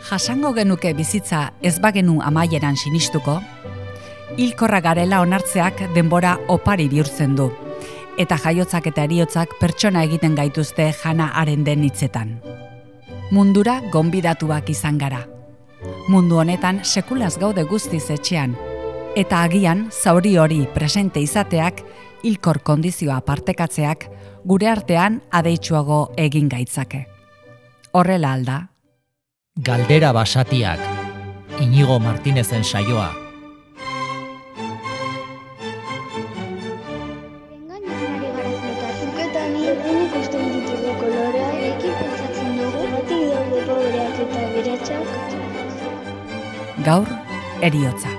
Jasango genuke bizitza ez bagenu amaieran sinistuko, hilkorra garela onartzeak denbora opari bihurtzen du, eta jaiotzak eta heriotzak pertsona egiten gaituzte Hannah Arendten hitzetan. Mundura gonbidatuak izan gara. Mundu honetan sekulaz gaude guztiz etxean, eta agian zauri hori presente izateak, hilkor kondizioa partekatzeak, gure artean adeitsuago egin gaitzake. Horrela alda. Galdera basatiak, Inigo Martinezen saioa. Engainari gara notatzuk eta ni erdin ikusten ditugu kolorearekin pentsatzen dugu batik daude pobreak eta beratxak. Gaur, heriotza.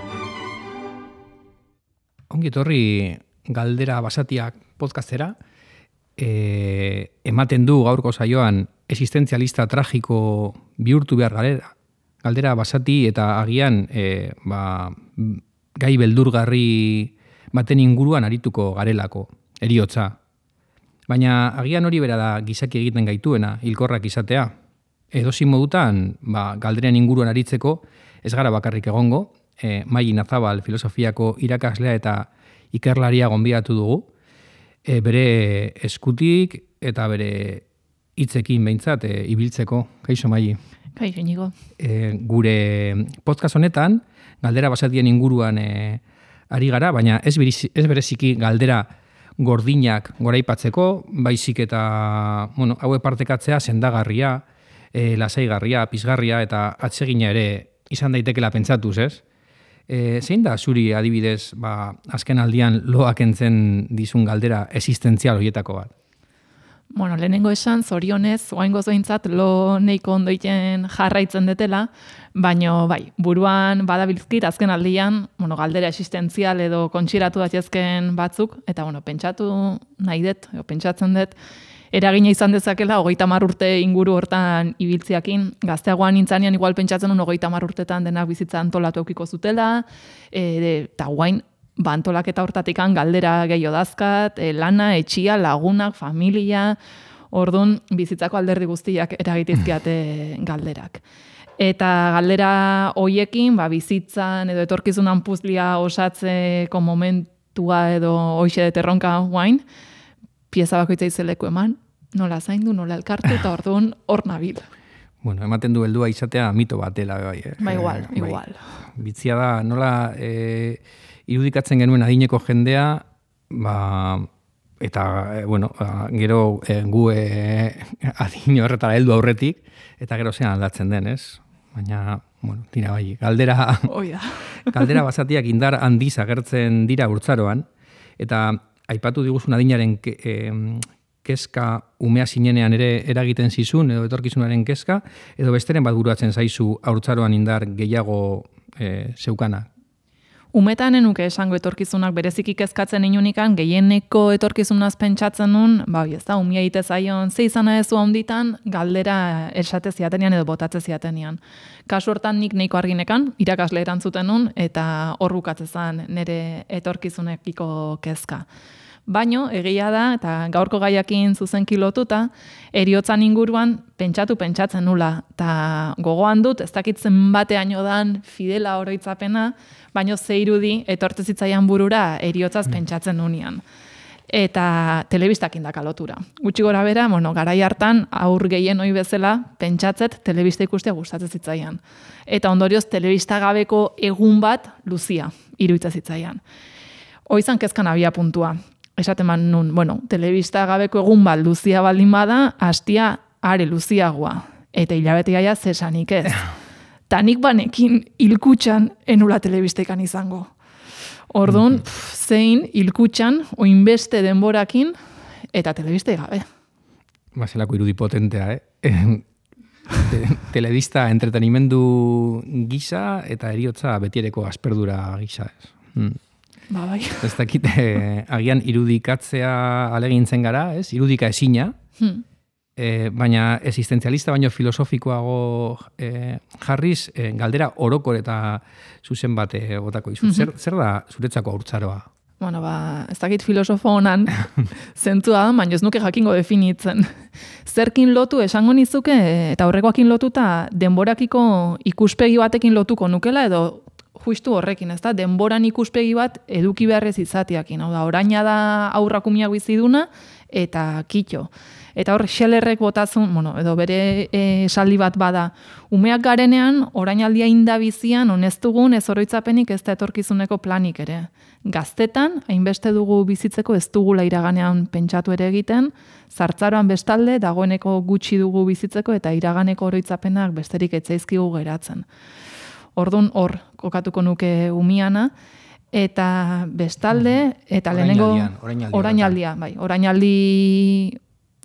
Ongi etorri Galdera basatiak podcastera. Ematen du gaurko saioan existentzialista tragiko bihurtu behar galdera basati eta agian gai beldurgarri baten inguruan arituko garelako, heriotza. Baina agian hori bera da gizaki egiten gaituena, hilkorrak izatea. Edozein modutan, galderen inguruan aritzeko ez gara bakarrik egongo, Mai Nazabal filosofiako irakaslea eta ikerlaria gonbidatu dugu, bere eskutik eta bere hitzekin behintzat ibiltzeko. Kaixo, Mai. Kaixo, Inigo. Gure podcast honetan, galdera basatien inguruan ari gara, baina ez bereziki galdera gordinak goraipatzeko, baizik eta hauek partekatzea sendagarria, lasaigarria, pizgarria eta atsegina ere izan daitekela pentsatuz, ez? Zein da zuri adibidez azken aldian loak entzen dizun galdera existentzial horietako bat? Lehenengo esan, zorionez, oaingoz behintzat lo neiko ondoiten jarraitzen detela, baino bai, buruan badabilzkit azken aldian, galdera existentzial edo kontxiratu datzezken batzuk, eta pentsatu nahi dut, pentsatzen dut, eragina izan dezakela 30 urte inguru hortan ibiltziakin. Gazteagoan nintzanean igual pentsatzen 30 urtetan denak bizitza antolatu eukiko zutela, eta guain antolaketa hortatikan galdera gehiago dazkat, lana, etxia, lagunak, familia, orduan bizitzako alderdi guztiak eragitizkiate galderak. Eta galdera hoiekin, bizitzan edo etorkizunan puzlia osatzeko momentua edo hoixe deterronka guain, pieza bakoitza izeleku eman, nola zaindu, nola elkartu, eta orduan hor nabil. Ematen du heldua izatea mito bat dela. Igual. Bitzia da, nola irudikatzen genuen adineko jendea, eta, gero gu adin horretara heldu aurretik, eta gero zean aldatzen den, ez? Baina, tira bai, galdera basatiak indar handiz agertzen dira urtzaroan, eta aipatu diguzun adinaren kezka umea zinenean ere eragiten zizun, edo etorkizunaren kezka, edo besteren bat buruatzen zaizu haurtzaroan indar gehiago zeukana? Umetan enuke esango etorkizunak bereziki kezkatzen inunikan, gehieneko etorkizunaz pentsatzen nun, umia egite zaion, ze izana ezu handitan, galdera esate ziatenean edo botatze ziatenean. Kasu hortan nik neiko arginekan, irakasle erantzuten nun, eta hor bukatzezan nire etorkizunekiko kezka. Baino, egia da, eta gaurko gaiakin zuzenki lotuta, heriotzan inguruan pentsatzen nula, eta gogoan dut, ez dakitzen bateaino dan fidela oroitzapena, baino ze irudi etortze zitzaian burura heriotzaz pentsatzen nunean. Eta telebistakin daka lotura. Gutxi gora bera, garai hartan, aur gehien hoi bezala, pentsatzet telebista ikustea gustatzen zitzaian. Eta ondorioz, telebista gabeko egun bat luzia, iruitza zitzaian. Hoizan kezkan abia puntua. Esaten man nun, telebista gabeko egun bat luzia baldin bada, hastia are luziagoa. Eta hilabete gaia zesanik ez. Tanik banekin hilkutxan enula telebistekan izango. Orduan, zein hilkutxan, oinbeste denborakin, eta telebiste gabe. Zelako irudi potentea, Telebista entretenimendu gisa eta heriotza betiereko asperdura gisa, ez? Bai. Ez dakit, agian irudikatzea alegintzen gara, ez? Irudika ezina, baina existentzialista baino filosofikoago jarriz, galdera orokor eta zuzen bat botako izu. Zer da zuretzako haurtzaroa? Bueno, ez dakit filosofo honan zentzua, baina ez nuke jakingo definitzen. Zerkin lotu esango nizuke, eta horrekoakin lotuta denborakiko ikuspegi batekin lotuko nukela, edo justu horrekin, ez da? Denboran ikuspegi bat eduki beharrez izatiakin. Hau da, oraina da aurrakumiak biziduna, eta kitxo. Eta hor, Schellerrek botazun, edo bere esaldi bat bada, umeak garenean, orainaldia indabizian, honeztugun ez oroitzapenik ez da etorkizuneko planik ere. Gaztetan, hainbeste dugu bizitzeko ez dugula iraganean pentsatu ere egiten, zartzaroan bestalde, dagoeneko gutxi dugu bizitzeko eta iraganeko oroitzapenak besterik etzaizkigu geratzen. Ordun hor, kokatuko nuke umiana, eta bestalde, eta lehenengo orainaldi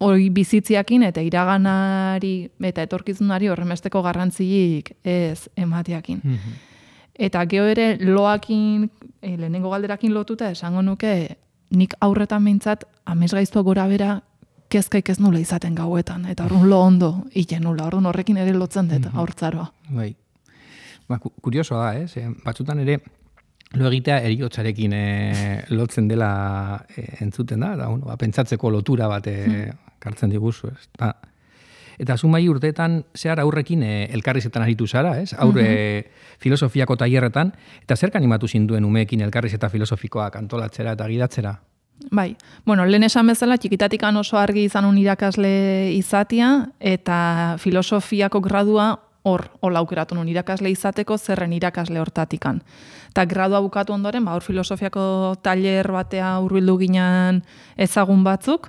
hori bizitziakin eta iraganari eta etorkizunari horremesteko garrantzilik ez emateakin. Eta gero ere loakin, lehenengo galderakin lotuta esango nuke, nik aurretan behintzat amesgaiztua gora bera kezkaik ez nula izaten gauetan. Eta orduan lo ondo iten nula, orduan horrekin ere lotzen dut aurtzaroa. Bai. Kuriosoa da, batzutan ere lo egitea eriotzarekin lotzen dela entzuten da, eta pentsatzeko lotura bat kartzen diguzu, ez? Eta zu mai urteetan zehar aurrekin elkarrizetan aritu zara, ez? Aurre filosofiako tailerretan, eta zerk animatu zinduen umeekin elkarrizeta filosofikoak antolatzera eta gidatzera? Bai, lehen esan bezala, txikitatikan oso argi izanun irakasle izatia, eta filosofiako gradua hola aukeratu nun irakasle izateko zerren irakasle hortatikan. Eta gradua bukatu ondoren, hor filosofiako tailer batea hurbildu ginen ezagun batzuk,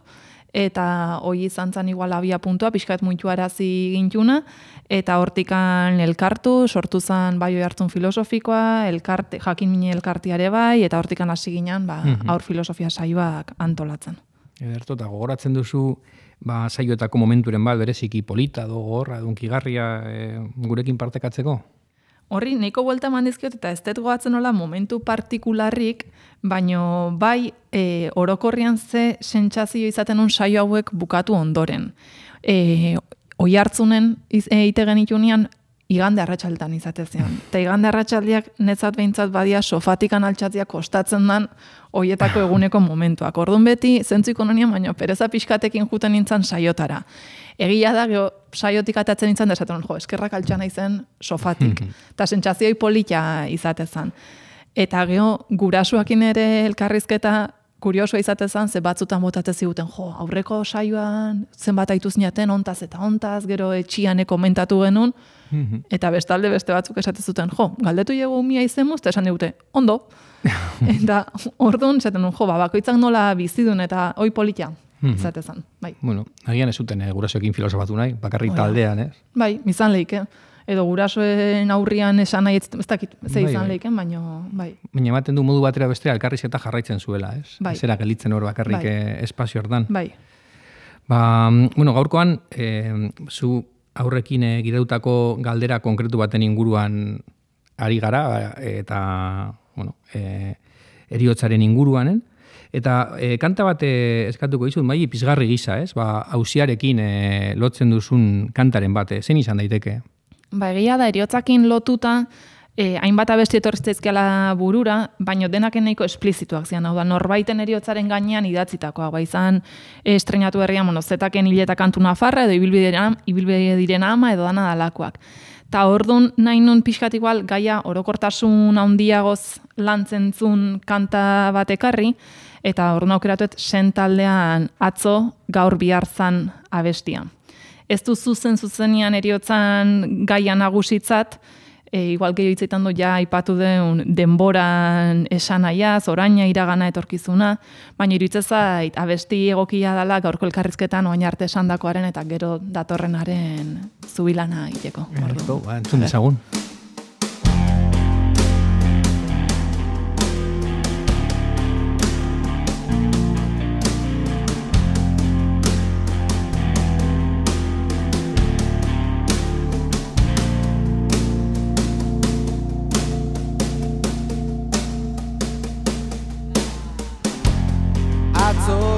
eta hoi izan zen igual abia puntua, pixkat muitu arazi gintuna, eta hortikan elkartu, sortu zen bai hartzun filosofikoa, jakin mine elkartiare bai, eta hortikan hasi ginen aur filosofia saioak antolatzen. Ederto, eta gogoratzen duzu saioetako momenturen bat bereziki polita, gogorra, dunkigarria gurekin partekatzeko? Horri, nahiko buelta mandizkiot eta ez dut goatzen nola momentu partikularrik, baino bai orokorrian ze sentsazio izaten un saio hauek bukatu ondoren. Oi hartzunen eite genitunean igande arratsaldetan izatezean. Eta igande arratsaldiak netzat behintzat badia sofatikan altxatzia kostatzen dan hoietako eguneko momentuak. Orduan beti zentzu ikonomian, baina pereza pixkatekin juten nintzen saiotara. Egia da, saiotik atatzen nintzen, da esaten, eskerrak altxana izen sofatik. Eta sentsazioi polita izatezan. Eta gurasuakin ere elkarrizketa kuriosoa izatezan, ze batzutan botatzen ziguten, aurreko saioan zenbat aituz niaten, ontaz eta ontaz, gero etxiane komentatu genuen, eta bestalde beste batzuk esaten zuten, galdetu jego umia izemuz, eta esan digute, ondo. Eta orduan, esaten bakoitzak nola bizidun eta oi polita izatezan. Bai. Bueno, agian ez zuten gurasoekin filosofatu nahi, bakarrik taldean, ez? Bai, izan lehike. Edo gurasoen aurrian esan nahi, ez dakit, ze izan lehiken, baina bai. Baina ematen du modu batera bestera elkarrizketa jarraitzen zuela, ez? Bai. Zera gelitzen hor bakarrik espazio hortan. Bai. Gaurkoan, zu aurrekin gidautako galdera konkretu baten inguruan ari gara, eta, eriotzaren inguruanen, eta kanta bat eskatuko dizut, mai pizgarri gisa, ez? Auziarekin lotzen duzun kantaren bat, zen izan daiteke? Egia da, eriotzakin lotuta, hainbat abesti etorritzaizkiala burura, baino denak nahiko esplizituak zian, hau da, norbaiten eriotzaren gainean idatzitakoa, izan estrenatu herrian, zetaken hileta kantu nafarra, edo ibilbide diren ama, edo dana dalakoak. Ta orduan nahi nun pixkat igual gaia orokortasun handiagoz lantzen zun kanta bat ekarri, eta orduan aukeratuet sentaldean atzo gaur biharzan abestia. Ez du zuzenean eriotzan gaia nagusitzat, igual gehiago hitzetan du ja aipatu den denboran esanaiaz, oraina iragana etorkizuna, baina iruditzen zait abesti egokia dela gaurko elkarrizketan oain arte esandakoaren eta gero datorrenaren zubilana egiteko. Entzun dezagun.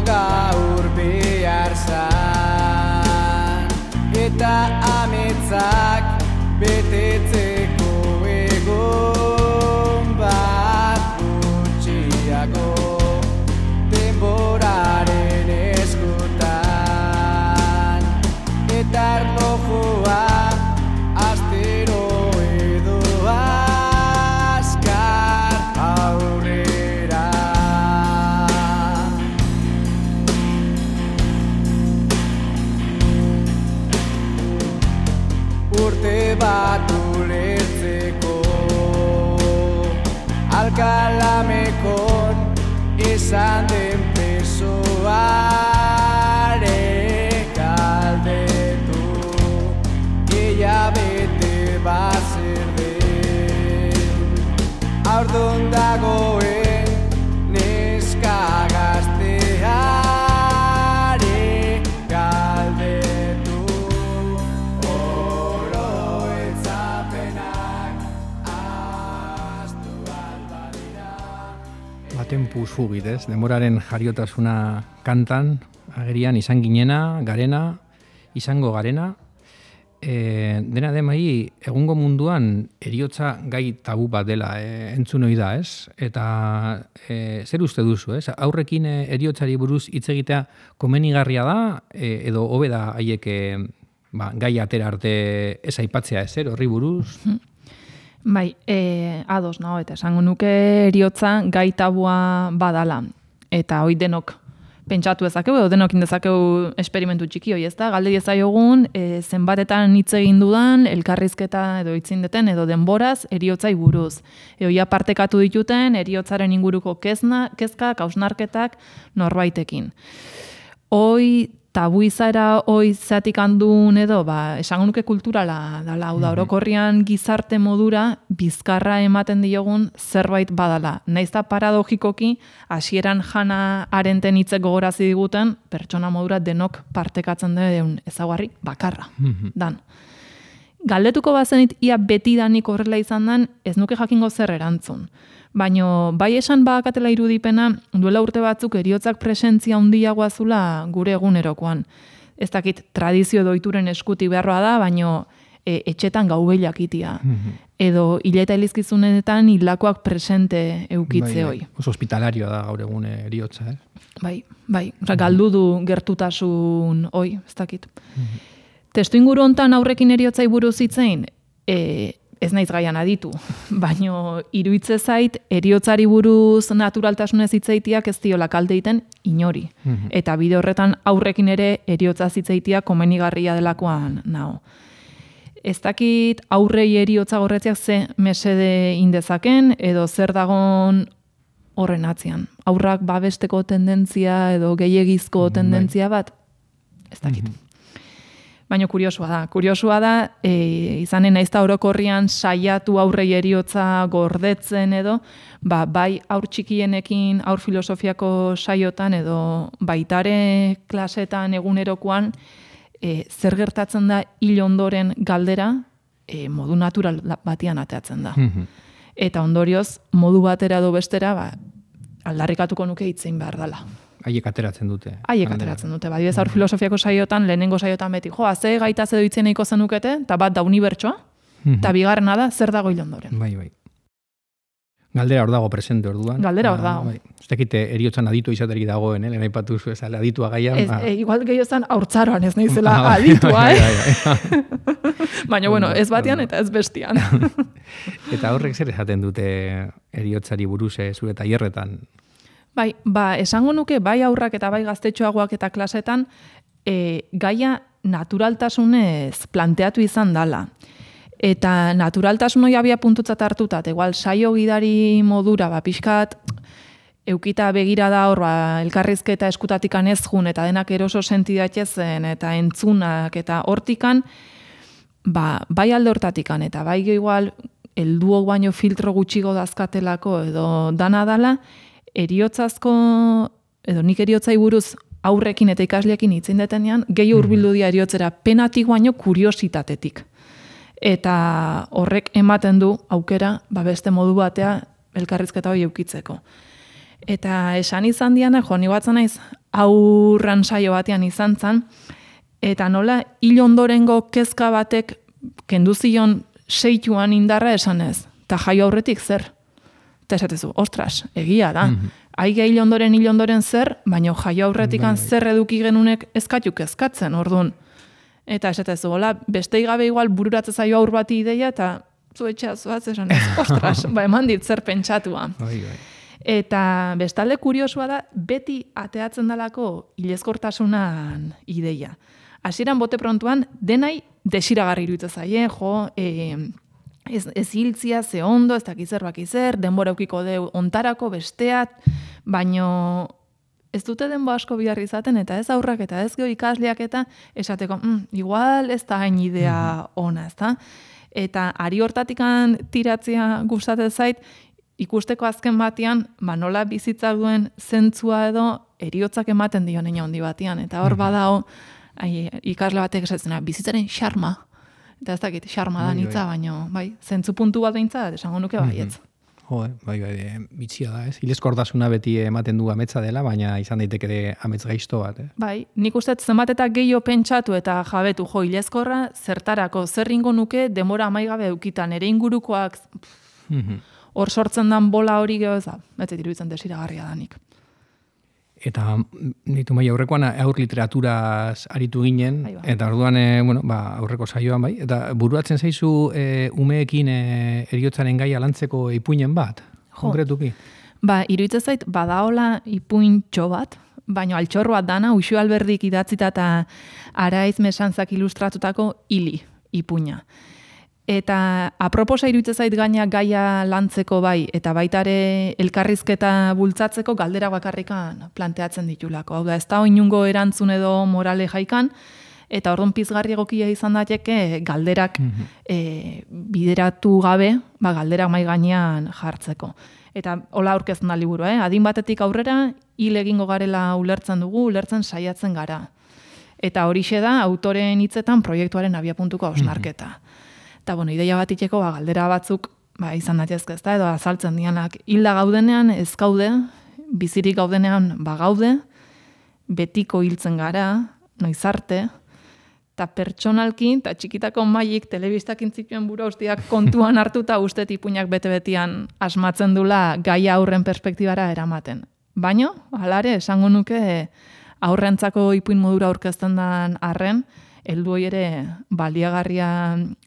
Gaur biharzan eta ametzak betetzeko egon bat gutxiago. bat ulertzeko. Alkalamekon esan den presoare galdetu, gehiabete bat zer den. Aurdun dagoen neska gazteare galdetu, oroitzapenak ahaztu albadira. Tempus fugit, ez? Denboraren jariotasuna kantan, agerian izan ginena, garena, izango garena. Dena demai, egungo munduan eriotza gai tabu bat dela entzun ohi da, ez? Eta zer uste duzu, ez? Aurrekin eriotzari buruz hitz egitea komenigarria da, edo hobe da haiek gai atera arte ez aipatzea ezer, horri buruz? Bai, ados nago, eta esango nuke eriotza gai tabua badala. Eta hoi denok pentsatu ezakegu, edo denokin dezakegu esperimentu txiki hoi, ez da? Galde diezaiogun, zenbatetan hitz egin dudan, elkarrizketa edo hitzindeten, edo denboraz, eriotzai buruz. Eoia partekatu dituten, eriotzaren inguruko kezka, hausnarketak norbaitekin. Hoi, tabu izaera hoi zatik handun edo, esango nuke kulturala dala, hau da, orokorrian gizarte modura bizkarra ematen diogun zerbait badala. Naizta paradogikoki, hasieran Hannah Arendten hitzek gogorazi diguten, pertsona modura denok partekatzen den ezaugarri bakarra, dan. Galdetuko bazenit ia betidanik horrela izan den, ez nuke jakingo zer erantzun. Baina bai esan badakatela irudipena, duela urte batzuk eriotzak presentzia handiagoa zula gure egunerokoan. Ez dakit tradizio doituren eskuti beharroa da, baina etxetan gaubelak itia. Edo hileta elizkizunetan hilakoak presente eukitze hoi. Oso hospitalarioa da gaur egun eriotza, eh? Bai. Galdu du gertutasun hoi, ez dakit. Testu inguru hontan aurrekin eriotzai buruz hitzein, ez naiz gaian aditu, baino iruitze zait eriotzari buruz naturaltasunez hitzeitiak ez diola kalte egiten inori. Eta bide horretan aurrekin ere eriotza hitzeitiak komenigarria delakoan nao. Ez dakit aurrei eriotza gorretziak ze mesede indezaken edo zer dagon horren atzean. Aurrak babesteko tendentzia edo gehiegizko tendentzia bat, ez dakit. Baina kuriosua da, izanen naizta orokorrian saiatu aurrei eriotza gordetzen edo, bai aur txikienekin, aur filosofiako saiotan edo baitare klasetan egunerokoan, zer gertatzen da hil ondoren galdera, modu natural batian ateatzen da. Eta ondorioz, modu batera edo bestera, aldarrikatuko nuke hitzein behar dela. Haiek ateratzen dute. Badibez aur filosofiako saiotan, lehenengo saiotan beti, ze gaitaz edo hitzen nahiko zenukete, eta bat da unibertsoa, eta bigarrena da, zer dago hil ondoren. Bai. Galdera hor dago presente orduan. Galdera hor dago. Ez dakite eriotzan aditu izaterik dagoen, lehen aipatu zu, aditua gaian. Igual gehiozan haurtzaroan ez nahizela aditua, Baina, ez batean eta ez bestian. Eta horrek zer esaten dute eriotzari buruz zure tailerretan? Bai, esango nuke bai aurrak eta bai gaztetxoagoak eta klasetan gaia naturaltasunez planteatu izan dala. Eta naturaltasun hori abia puntutzat hartutat, igual saio gidari modura, pixkat eukita begira da hor, elkarrizketa eskutatikan ez jun, eta denak eroso sentidatezen, eta entzunak, eta hortikan, bai alde hortatikan, eta bai igual, helduok baino filtro gutxigo dazkatelako, edo dana dala, eriotzazko, edo nik eriotzai buruz aurrekin eta ikasleekin hitzen detenean, gehi hurbildu dira eriotzera penatik baino kuriositatetik. Eta horrek ematen du aukera, beste modu batea elkarrizketa hori eukitzeko. Eta esan izan diana, ni batzen naiz, aurran saio batean izan zan, eta nola hil ondorengo kezka batek kenduzion seituan indarra esanez, eta jaio aurretik zer? Eta esatezu, ostras, egia da. Aige hil ondoren zer, baina jaio aurretikan zer eduki genunek ezkatuk ezkatzen, orduan. Eta esatezu, beste gabe igual bururatze zaio aur bati ideia, eta zu etxea zuaz esan ez, ostras, eman dit zer pentsatua. Eta bestalde kuriosua da, beti ateatzen dalako hilezkortasunan ideia. hasieran bote prontuan denai desiragarri iruditzen zaie, ez hiltzia, ze ondo, ez dakiz zer, denbora eukiko deu ontarako besteat, baino ez dute denbo asko bihar izaten, eta ez aurrak, eta ez geho ikasleak, eta esateko, igual ez da hain idea ona, ez da? Eta ari hortatikan tiratzea gustatzen zait, ikusteko azken batean, nola bizitza duen zentzua edo heriotzak ematen dio neina handi batean, eta hor badao, ikasle batek esatzen, bizitzaren xarma, eta ez dakit, xarma da nitza, baino, zentzu puntu bat behintzat, esango nuke baietz. Bai, bitxia da, ez? Hilezkortasuna beti ematen du ametsa dela, baina izan daiteke ere amets gaizto bat, Bai, nik uste zenbat eta gehiago pentsatu eta jabetu hilezkorra, zertarako, zer ingo nuke denbora amaigabe eukitan, ere ingurukoak, hor sortzen dan bola hori geho ez da, ez iruditzen desiragarria danik. Eta ditu mai aurrekoan aur literaturaz aritu ginen, eta orduan aurreko saioan bai, eta buruatzen zaizu umeekin heriotzaren gaia lantzeko ipuinen bat, konkretuki? Iruditzen zait, badaola ipuintxo bat, baina altxor bat dana, Uxu Alberdik idatzita eta Araiz Mesantzak ilustratutako hili ipuina. Eta aproposa iruditzen zait gaia lantzeko bai, eta baita ere elkarrizketa bultzatzeko galdera bakarrikan planteatzen ditulako. Hau da, ez da inungo erantzun edo morale jaikan, eta orduan pizgarri egokia izan daiteke galderak bideratu gabe, galderak mai gainean jartzeko. Eta hola aurkezten da liburua, adin batetik aurrera, hil egingo garela ulertzen dugu, ulertzen saiatzen gara. Eta horixe da, autoren hitzetan proiektuaren abiapuntuko hausnarketa. Eta, ideia bat itxeko, galdera batzuk, izan daitezke ez da, edo azaltzen dianak, hilda gaudenean ez gaude, bizirik gaudenean gaude, betiko hiltzen gara, noiz arte, eta pertsonalkin, eta txikitako maik telebistak intzipien bura ustiak kontuan hartuta uste ipuinak bete-betian asmatzen dula gaia aurren perspektibara eramaten. Baina, halare, esango nuke aurrentzako ipuin modura aurkezten den arren, heldu ere baliagarria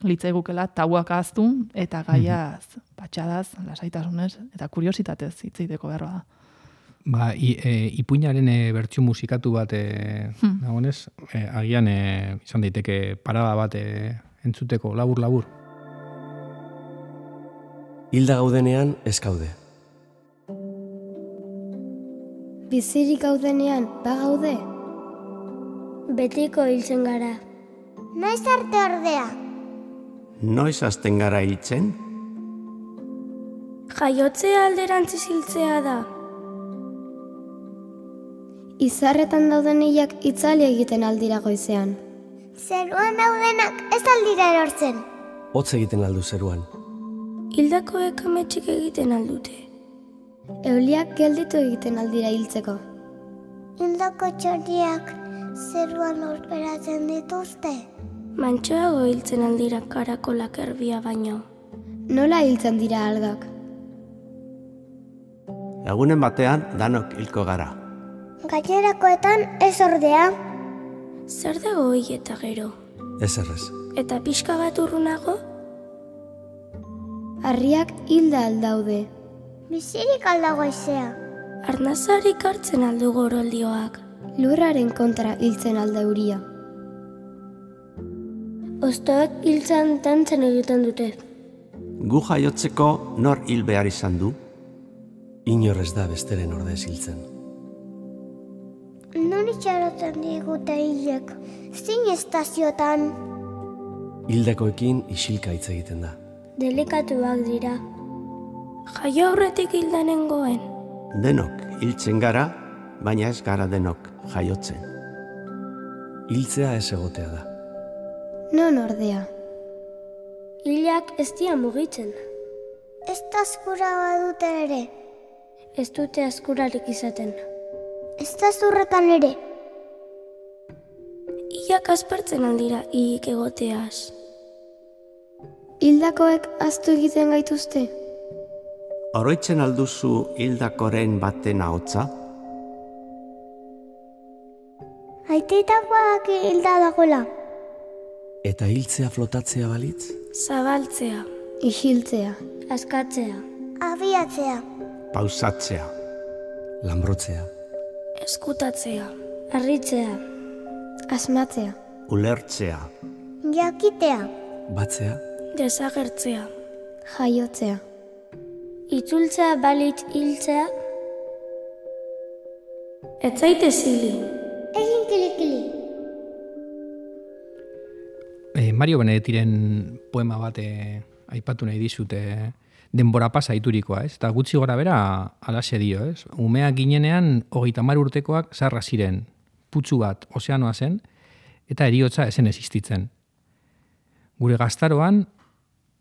litzaigukela tauak ahaztu eta gaiaz, patxadaz, lasaitasunez eta kuriositatez hitz egiteko behar da. Ipuinaren bertsio musikatu bat dagoenez, agian izan daiteke parada bat entzuteko labur. Hilda gaudenean ez gaude. Bizirik gaudenean bagaude. Betiko hiltzen gara. Noiz arte ordea? Noiz hasten gara hiltzen? Jaiotzea alderantziz hiltzea da. Izarretan dauden hilak itzali egiten aldira goizean. Zeruan daudenak ez aldira erortzen. Hotz egiten aldu zeruan. Hildakoek ametxik egiten aldute. Euliak gelditu egiten aldira hiltzeko. Hildako txoriak zeruan horperatzen dituzte. Mantxoago hiltzen aldira karakolak erbia baino. Nola hiltzen dira algak? Lagunen batean danok hilko gara. Gainerakoetan ez ordea. Zer dago hil eta gero? Ez errez. Eta pixka bat urrunago? Harriak hilda aldaude. Bizirik aldago aizea. Arnazarik hartzen aldu goroldioak. Lurraren kontra hiltzen alda euria. Ostoak hiltzan dantzen egiten dute. Gu jaiotzeko nor hil behar izan du? Inor ez da besteren ordez hiltzen. Non itxaroten digute hilek, zein estaziotan? Hildakoekin isilka hitz egiten da. Delikatuak dira. Jaio aurretik hildanengoen. Denok hiltzen gara, baina ez gara denok jaiotzen. Hiltzea ez egotea da. Non ordea? Hilak ez dira mugitzen. Ez da askura badute ere. Ez dute askurarik izaten. Ez da zurretan ere. Hilak aspertzen aldira hilik egoteaz. Hildakoek ahaztu egiten gaituzte? Oroitzen alduzu hildakoren baten ahotsa? Aiteitakoak hilda dagoela. Eta hiltzea flotatzea balitz? Zabaltzea. Isiltzea. Askatzea. Abiatzea. Pausatzea. Lanbrotzea. Eskutatzea. Harritzea. Asmatzea. Ulertzea. Jakitea. Batzea. Desagertzea. Jaiotzea. Itzultzea balitz hiltzea. Ez zaite zili. Egin kilikili. Mario Benedettiren poema bat aipatu nahi dizute denbora pasa iturikoa, ez? Eta gutxi gora bera alaxe dio, ez? Umeak ginenean 30 urtekoak zarra ziren, putzu bat ozeanoa zen, eta heriotza ezen existitzen. Gure gaztaroan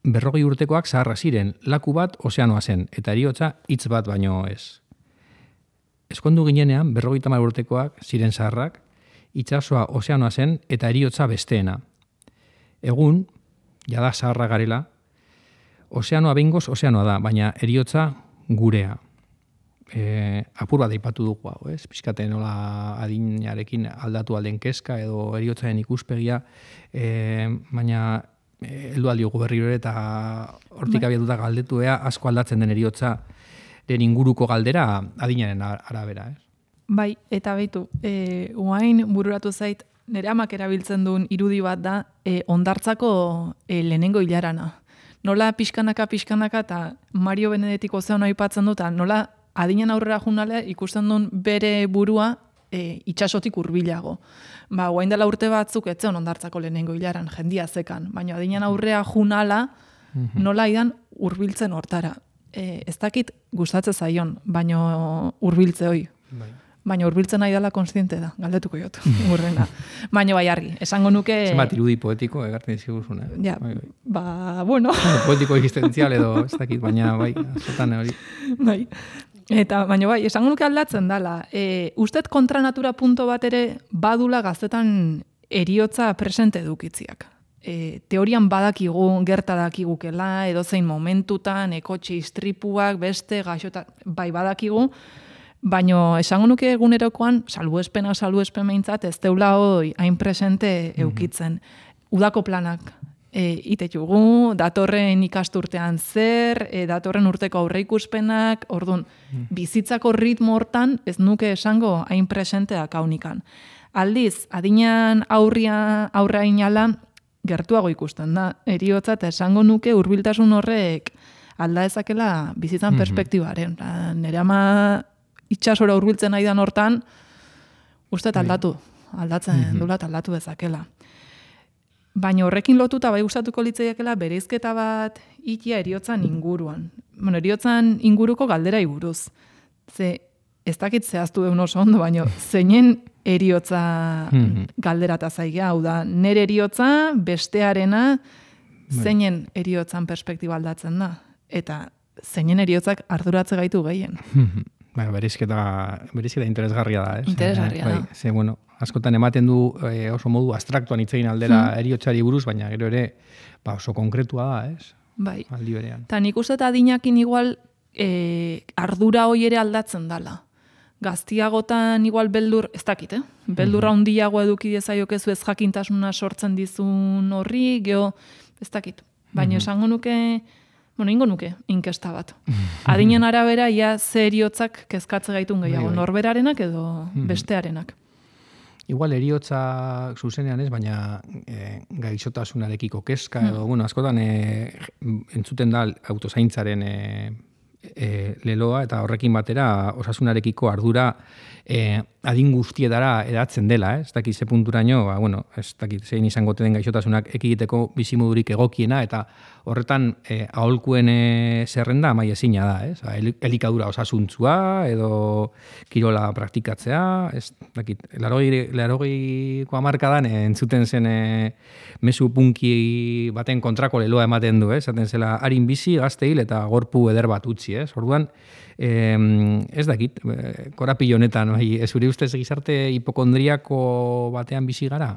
40 urtekoak zaharra ziren, laku bat ozeanoa zen, eta heriotza hitz bat baino ez. Ezkondu ginenean 50 urtekoak ziren zaharrak, itsasoa ozeanoa zen, eta heriotza besteena. Egun, jada zaharra garela, ozeanoa behingoz ozeanoa da, baina heriotza gurea. Apur bat aipatu dugu hau, ez? Pizkate nola adinarekin aldatu alden kezka edo heriotzaren ikuspegia, baina heldu aldiogu berriro ere eta hortik abiatuta galdetu asko aldatzen den heriotzaren inguruko galdera adinaren arabera, ez? Bai, eta baitu, uain bururatu zait, nire amak erabiltzen duen irudi bat da ondartzako lehenengo hilarana. Nola pixkanaka eta Mario Benedetik ozeano aipatzen dut, nola adinean aurrera junale ikusten duen bere burua itxasotik hurbilago. Guain dela urte batzuk etzen ondartzako lehenengo hilaran, jendia zekan, baina adinean aurrera junala nola idan hurbiltzen hortara. Ez dakit gustatzen zaion, baina hurbiltze hoi. Baina hurbiltzen nahi dela konstiente da, galdetuko jot, urrena. Baina bai argi, esango nuke... Zenbat irudi poetiko egartzen diziguzun, Ja, bueno... Poetiko existentzial edo ez dakit, baina bai, azotan hori. Bai, eta baina bai, esango nuke aldatzen dela. Ustet kontranatura punto bat ere badula gaztetan heriotza presente edukitziak. Teorian badakigu, gerta dakigukela, edozein momentutan, ekotxe istripuak, beste, gaixotan, bai badakigu, baina esango nuke egunerokoan, salbuespen behintzat, ez deula hoi hain presente eukitzen. Udako planak itetugu, datorren ikasturtean zer, datorren urteko aurreikuspenak, orduan, bizitzako ritmo hortan ez nuke esango hain presenteak haunikan. Aldiz, adinean aurra inala, gertuago ikusten da, heriotza eta esango nuke hurbiltasun horrek alda ezakela bizitzan perspektibaren. Nire ama itxasora hurbiltzen aidan hortan, uste aldatzen dula eta aldatu dezakela. Baina horrekin lotuta bai gustatuko litzaiakela bereizketa bat ikia heriotzan inguruan. Bueno, heriotzan inguruko galderai buruz. Ze ez dakit zehaztu deun oso ondo, baina zeinen heriotza galderata zaiga, hau da, nere heriotza, bestearena, zeinen heriotzan perspektiba aldatzen da. Eta zeinen heriotzak arduratze gaitu gehien. Bereizketa interesgarria da, ez? Interesgarria da. Ze, bueno, askotan ematen du oso modu abstraktuan hitz egin aldera heriotzari buruz, baina gero ere oso konkretua da, ez? Bai. Aldi berean. Ta nik uste eta adinakin igual ardura hoi ere aldatzen dala. Gaztiagotan igual beldur, ez dakit, beldurra handiago eduki dezaiokezu ez jakintasuna sortzen dizun horri, geho, ez dakit. Baina esango nuke, ingo nuke, inkesta bat. Adinen arabera, ia ze heriotzak kezkatze gaitun gehiago, norberarenak edo bestearenak. Igual heriotzak zuzenean ez, baina gaixotasunarekiko kezka edo, askotan entzuten da autozaintzaren leloa eta horrekin batera osasunarekiko ardura adin guztietara edatzen dela, ez dakit ze punturaino, ez dakit zein izango den gaixotasunak ekigiteko bizimodurik egokiena eta horretan aholkuen zerrenda amai ezina da, ez? Elikadura osasuntzua edo kirola praktikatzea, ez dakit, 80ko hamarkadan entzuten zen mezu punki baten kontrako leloa ematen du, ez? Zaten zela harin bizi, gazte hil eta gorpu eder bat utzi, ez? Orduan, ez dakit, korapilo honetan, zure ustez gizarte hipokondriako batean bizi gara?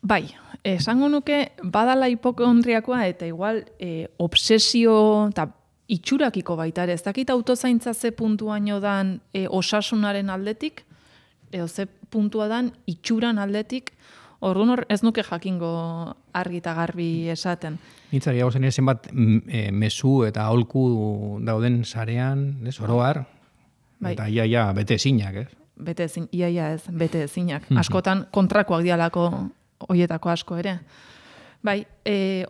Bai, esango nuke badala hipokondriakoa eta igual obsesio eta itxurakiko baita ere. Ez dakit autozaintza ze puntuaino dan osasunaren aldetik, edo ze puntua dan itxuran aldetik, orduan ez nuke jakingo argi eta garbi esaten. Nitzari hau zen zenbat mezu eta aholku dauden sarean, oroar, eta ia bete ezinak, ez? bete ezin, iaia ez, bete ezinak. Askotan kontrakoak dialako hoietako asko ere. Bai,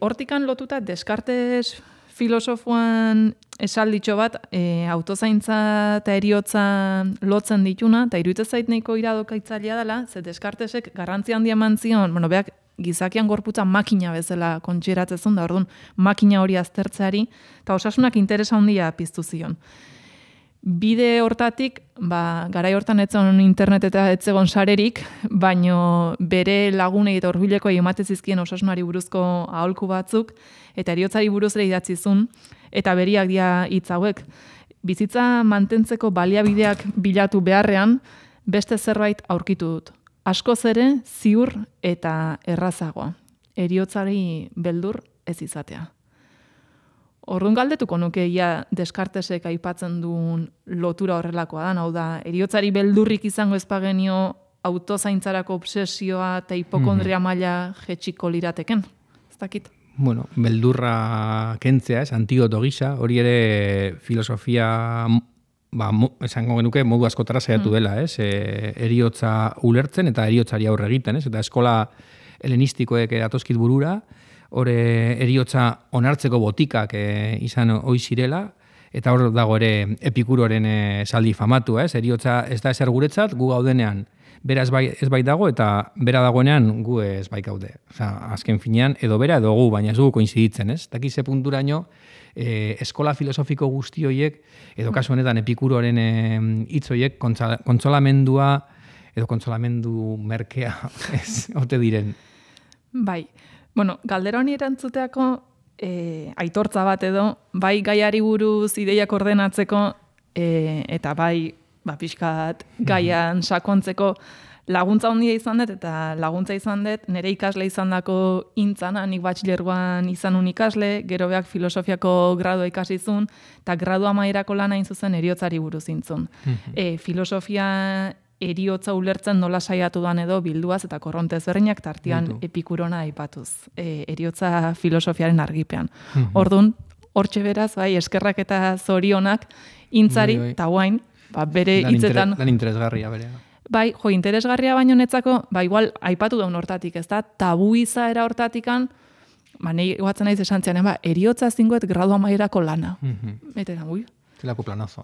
hortikan lotuta Descartes filosofoan esalditxo bat, autozaintza eta eriotza lotzen dituna, eta iruditzen zait nahiko iradokaitzailea dela, ze Descartesek garrantzi handia eman zion, beak gizakian gorputza makina bezala kontsideratzen da, orduan makina hori aztertzeari, eta osasunak interesa handia piztu zion. Bide hortatik, garai hortan etzen internet eta etzegon sarerik, baino bere lagunei eta hurbileko ematen zizkien osasunari buruzko aholku batzuk, eta eriotzari buruz ere idatzizun, eta beriak dira hitz hauek. Bizitza mantentzeko baliabideak bilatu beharrean, beste zerbait aurkitu dut. Askoz ere, ziur eta errazagoa. Eriotzari beldur ez izatea. Orduan galdetuko nuke ia Descartesek aipatzen duen lotura horrelakoa da, hau da, eriotzari beldurrik izango ezpagenio autozaintzarako obsesioa eta hipokondria maila jetxiko lirateken. Ez dakit? Bueno, beldurra kentzea, antidoto gisa, hori ere filosofia, esango genuke modu askotara saiatu dela, eriotza ulertzen eta eriotzari aurre egiten, eta eskola helenistikoek datozkit burura, hore eriotza onartzeko botikak izan ohi zirela, eta hor dago ere Epikuroren esaldi famatu, eriotza ez da ezer guretzat, gu gaudenean bera ez bai dago, eta bera dagoenean gu ez bai gaude. Azken finean, edo bera edo gu, baina ez dugu koinziditzen, ez? Dakize punturaino, eskola filosofiko guzti horiek, edo kasu honetan Epikuroren hitz horiek, kontsolamendua, edo kontsolamendu merkea, ez, ote diren. Bai. Bueno, galdera honi erantzuteako aitortza bat edo, bai gaiari buruz ideiak ordenatzeko, eta bai pixkat gaian sakontzeko laguntza handia izan dut, eta laguntza izan dut nire ikasle izan dako intzana, nik batxilergoan izan un ikasle, gero beak filosofiako gradua ikasizun, eta gradua amaierako lana zuzen eriotzari buruz intzun. Filosofia eriotza ulertzen nola saiatu dan edo bilduaz eta korronte ezberdinak tartean Epikurona aipatuz, eriotza filosofiaren argipean. Orduan, hortxe beraz, bai, eskerrak eta zorionak intzari, eta guain, bere hitzetan... Lan interesgarria berea. Bai, interesgarria baino netzako, igual, aipatu daun hortatik, ez da, tabu izaera hortatikan, nahi guatzen naiz esan zian, eriotza zingoet gradu amaierako lana. Eta da, Zelako planazo,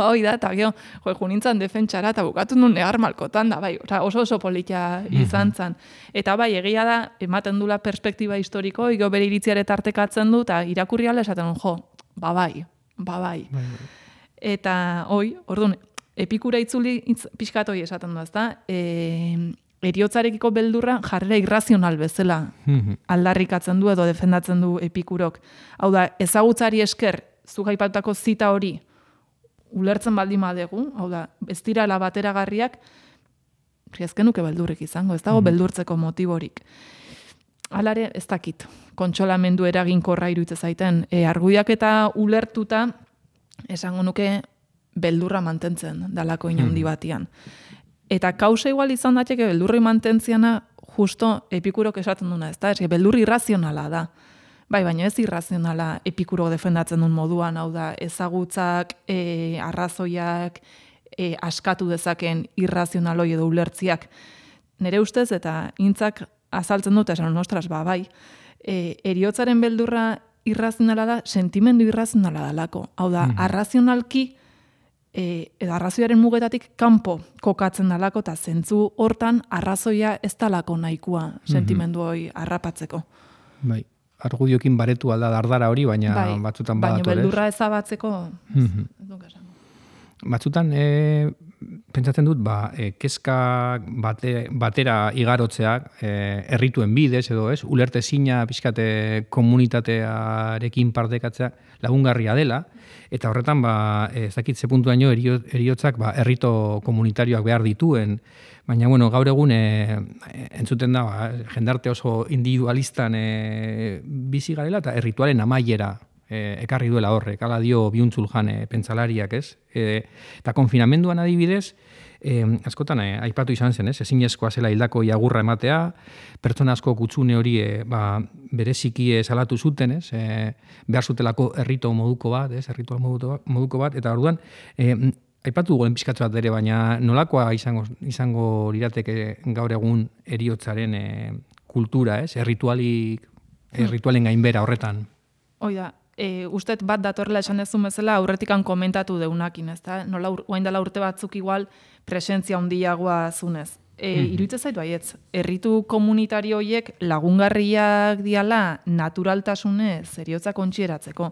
hoi da, eta gero, junintzan defentsara, eta bukatu nun negar malkotan da, bai, oso politia izan zan. Eta bai, egia da, ematen dula perspektiba historiko, igo bere iritziare tartekatzen du, eta irakurri ala esaten bai. Eta, orduan, Epikura itzuli pixkat hoi esaten du, ezta? Eriotzarekiko beldurra jarrera irrazional bezala aldarrikatzen du edo defendatzen du Epikurok. Hau da, ezagutzari esker, zuk aipatutako zita hori ulertzen baldin badegu, hau da, ez dirala bateragarriak, ezkenuke beldurrik izango, ez dago beldurtzeko motiborik. Halare, ez dakit, kontsolamendu eraginkorra iruditzen zaiten. Argudiak eta ulertuta, esango nuke beldurra mantentzen dalako inondi batian. Eta kausa igual izan dateke beldurri mantentziana justo Epikurok esaten duna, ez da? Beldurri irrazionala da. Bai, baina ez irrazionala Epikuro defendatzen duen moduan, hau da, ezagutzak, arrazoiak, askatu dezaken irrazionaloi edo ulertziak. Nere ustez, eta intzak azaltzen dut, esan, ostras, bai, eriotzaren beldurra irrazionala da, sentimendu irrazionala dalako. Hau da, arrazionalki, edo arrazoiaren mugetatik kanpo kokatzen dalako, eta zentzu hortan arrazoia ez dalako nahikoa sentimendu hori harrapatzeko. Bai, argudiokin baretu alda dardara hori, baina batzutan badator, baina beldurra ezabatzeko, batzutan, pentsatzen dut, kezka batera igarotzeak, errituen bidez, edo ez, ulertezina pixkate komunitatearekin partekatzea lagungarria dela, eta horretan, ez dakit ze puntuaino eriotzak errito komunitarioak behar dituen, baina, bueno, gaur egun entzuten da, jendarte oso individualistan bizi garela, eta erritualen amaiera ekarri duela horrek, ala dio Biuntzul Jan pentsalariak, ez? Eta konfinamenduan adibidez, askotan aipatu izan zen, ez? Ezinezkoa zela hildako agurra ematea, pertsona asko kutsune hori bereziki salatu zuten, ez? Behar zutelako errito moduko bat, ez? Erritual moduko bat, eta orduan aipatu goen pizkatzu bat ere, baina nolakoa izango lirateke gaur egun heriotzaren kultura, ez? Erritualen gainbera horretan. Oida, ustet bat datorrela esan dezun bezala aurretikan komentatu deunakin, ezta? Nola orain dela urte batzuk igual presentzia handiagoa zunez. Iruditzen zait baietz, herritu komunitario horiek lagungarriak diala naturaltasunez heriotzak kontsideratzeko.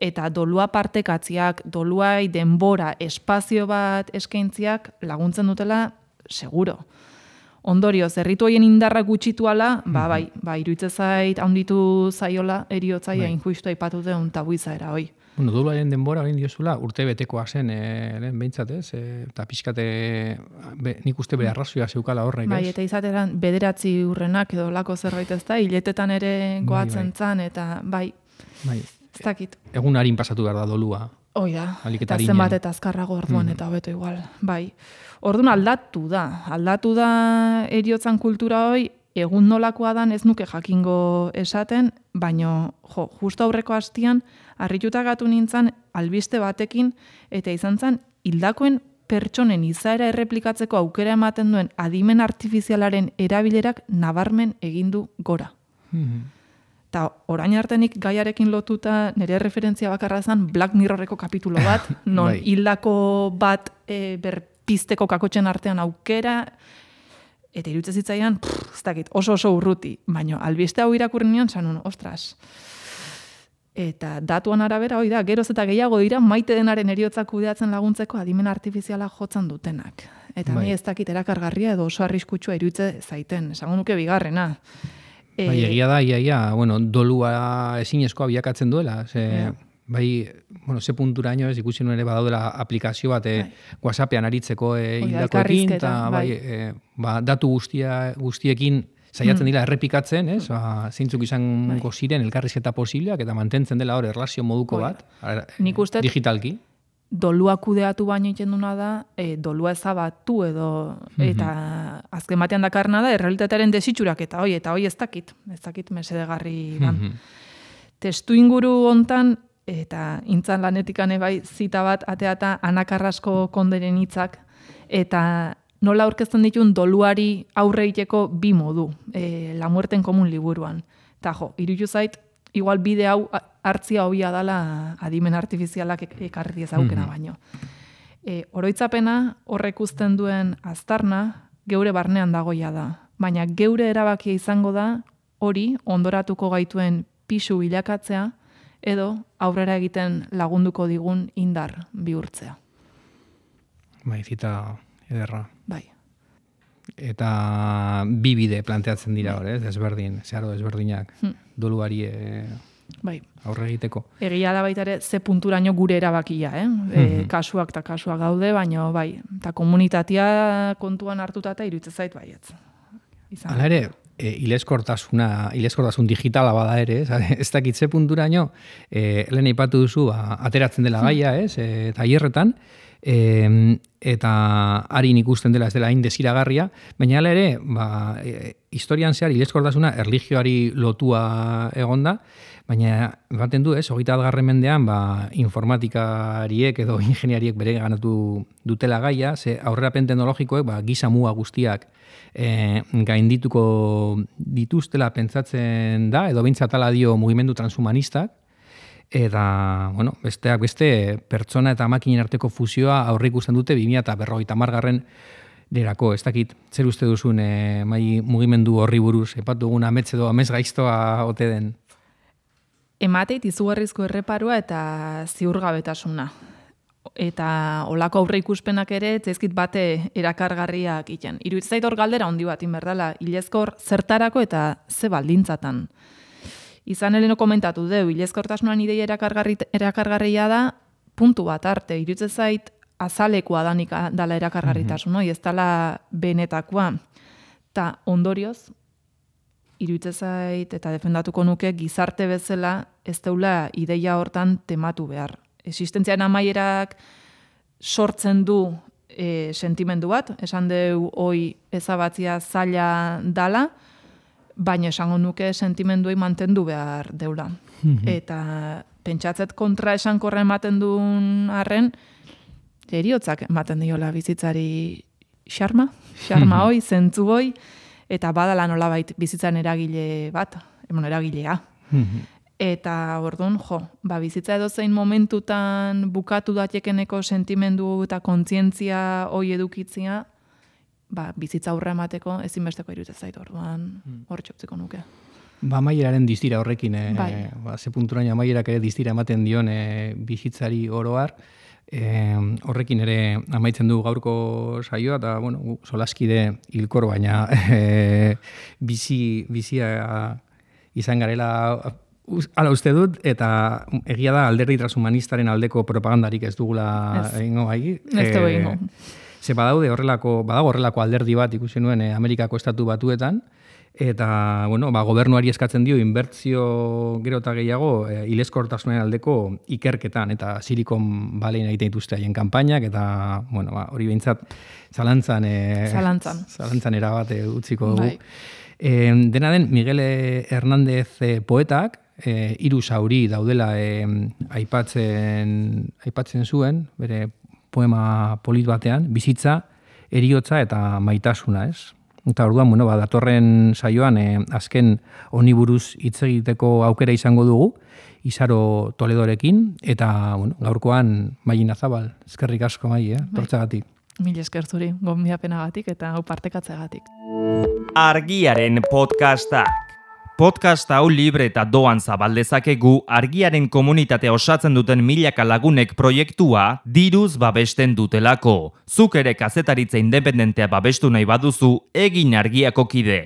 Eta dolua partekatziak, doluai denbora, espazio bat eskaintziak laguntzen dutela seguro. Ondorioz, herritu horien indarra gutxituala, bai, iruditzen zait handitu zaiola eriotzaia injustu aipatu deun tabu izaera hoi. Bueno, doluaren denbora egin diozula, urte betekoa zen, lehen behintzat, ez? Eta pixkate, nik uste bere arrazioa zeukala horrek, ez? Bai, eta izateran 9 urrenak edo lako zerbait ez da, hiletetan ere goatzen zan, eta bai. Ez dakit. Egun harin pasatu behar da dolua. Oida, eta zenbat eta azkarrago orduan eta hobeto igual. Bai. Orduan aldatu da heriotzan kultura hoi, egun nolakoa dan ez nuke jakingo esaten, baino, justo aurreko hastian, harrituta gatu nintzen albiste batekin, eta izan zen, hildakoen pertsonen izaera erreplikatzeko aukera ematen duen adimen artifizialaren erabilerak nabarmen egindu gora. Eta orain artenik gaiarekin lotuta nire referentzia bakarra zen Black Mirrorreko kapitulo bat, non hildako bat berpizteko kakotxen artean aukera, eta iruditzen zitzaian, ez dakit, oso urruti, baina albiste hau irakurri nion, zanun, ostras. Eta datuan arabera, hoi da, geroz eta gehiago dira, maite denaren heriotzak kudeatzen laguntzeko adimen artifiziala jotzen dutenak. Eta ni ez dakit erakargarria edo oso arriskutsua iruditzen zaiten, esango nuke bigarrena. Bai, egia da, bueno, dolua ezinezkoa bilakatzen duela, ze punturaino ez ikusi nuen ere badaudela aplikazio bat WhatsAppean aritzeko hildakoekin, eta datu guztiekin saiatzen dira errepikatzen, zeintzuk izango ziren elkarrizketa posibleak, eta mantentzen dela hor erlazio moduko bat, digitalki. Dolua kudeatu baino egiten duna da, dolua ezabatu edo, eta azken batean dakarna da, errealitatearen desitxurak, eta hoi ez dakit mesedegarri ban. Testu inguru hontan, eta intzan lanetikan bai zita bat ateata Ana Carrasco konderen hitzak, eta nola aurkezten ditun doluari aurre egiteko bi modu, La muerte en común liburuan. Eta iruditu zait, igual bide hau hartzia hobia dala adimen artifizialak ekarri diezaukena baino. Oroitzapena horrek uzten duen aztarna geure barnean dagoia da, baina geure erabakia izango da hori ondoratuko gaituen pisu bilakatzea edo aurrera egiten lagunduko digun indar bihurtzea. Bai, zita ederra. Bai. Eta bi bide planteatzen dira hor, zeharo desberdinak, doluari aurre egiteko. Egia da baita ere, ze punturaino gure erabakia, kasuak eta kasuak gaude, baina bai, eta komunitatea kontuan hartuta eta iruditzen zait baietz. Hala ere, hilezkortasun digitala bada ere, ez dakit ze punturaino, lehen aipatu duzu, ateratzen dela gaia, tailerretan, eta harin ikusten dela ez dela hain desiragarria, baina hala ere, historian zehar hilezkortasuna erlijioari lotua egonda, baina baten du, 21. mendean informatikariek edo ingeniariek bere ganatu dutela gaia, ze aurrerapen teknologikoek giza muga guztiak gaindituko dituztela pentsatzen da, edo behintzat ala dio mugimendu transhumanistak, eta, besteak beste, pertsona eta makinen arteko fusioa aurre ikusten dute 2050 derako, ez dakit, zer uste duzun mugimendu horri buruz, epatu dugun amets edo amez gaiztoa ote den? Emateit izugarrizko erreparua eta ziurgabetasuna. Eta olako aurre ikuspenak ere, zaizkit bate erakargarriak iten. Iruditzen zait hor galdera handi bat inberdala, hilezkor zertarako eta ze baldintzatan. Izan heleno komentatu deu, hilezkortasunan ideia erakargarria da, puntu bat arte, iruditzen zait azalekoa danik dala erakargarritasun, ez dala benetakoa. Ta ondorioz, iruditzen zait eta defendatuko nuke gizarte bezala ez deula ideia hortan tematu behar. Existentzian amaierak sortzen du sentimendu bat, esan deu hoi ezabatzia zaila dala, baina esango nuke sentimenduei mantendu behar deula. Eta pentsatzet kontra esankorra ematen duen arren, eriotzak ematen diola bizitzari xarma hoi, zentzu hoi, eta badala nolabait bizitzan eragilea. Eta orduan, bizitza edozein momentutan bukatu datekeneko sentimendu eta kontzientzia hoi edukitzia, bizitza aurre emateko ezinbesteko iruditzen zait, orduan hor txoptziko nuke. Amaieraren distira horrekin, ze punturaino amaierak ere distira ematen dion bizitzari oroar, horrekin ere amaitzen du gaurko saioa, eta solaskide hilkor, baina bizia izan garela hala uste dut, eta egia da alderdi transhumanistaren aldeko propagandarik ez dugula egingo gai. Ez dugu egingo. Ze badago horrelako alderdi bat ikusi nuen Amerikako estatu batuetan, eta gobernuari eskatzen dio inbertzio gero eta gehiago hilezkortasunen aldeko ikerketan, eta Silicon Valley egiten dituzte haien kanpainak, eta hori behintzat zalantzan erabate utziko dugu. Dena den, Miguel Hernández poetak, 3 zauri daudela aipatzen zuen, bere poema polit batean, bizitza, heriotza eta maitasuna, ez? Eta orduan, datorren saioan azken honi buruz hitz egiteko aukera izango dugu, Izaro Toledorekin, eta gaurkoan Maili Nazabal, eskerrik asko Maili, tortzagatik. Mil esker zuri, gonbidapenagatik eta hau partekatzeagatik. Argiaren podcastak. Podcast hau libre eta doan zabaldezakegu Argiaren komunitatea osatzen duten milaka lagunek proiektua diruz babesten dutelako. Zuk ere kazetaritza independentea babestu nahi baduzu, egin Argiako kide.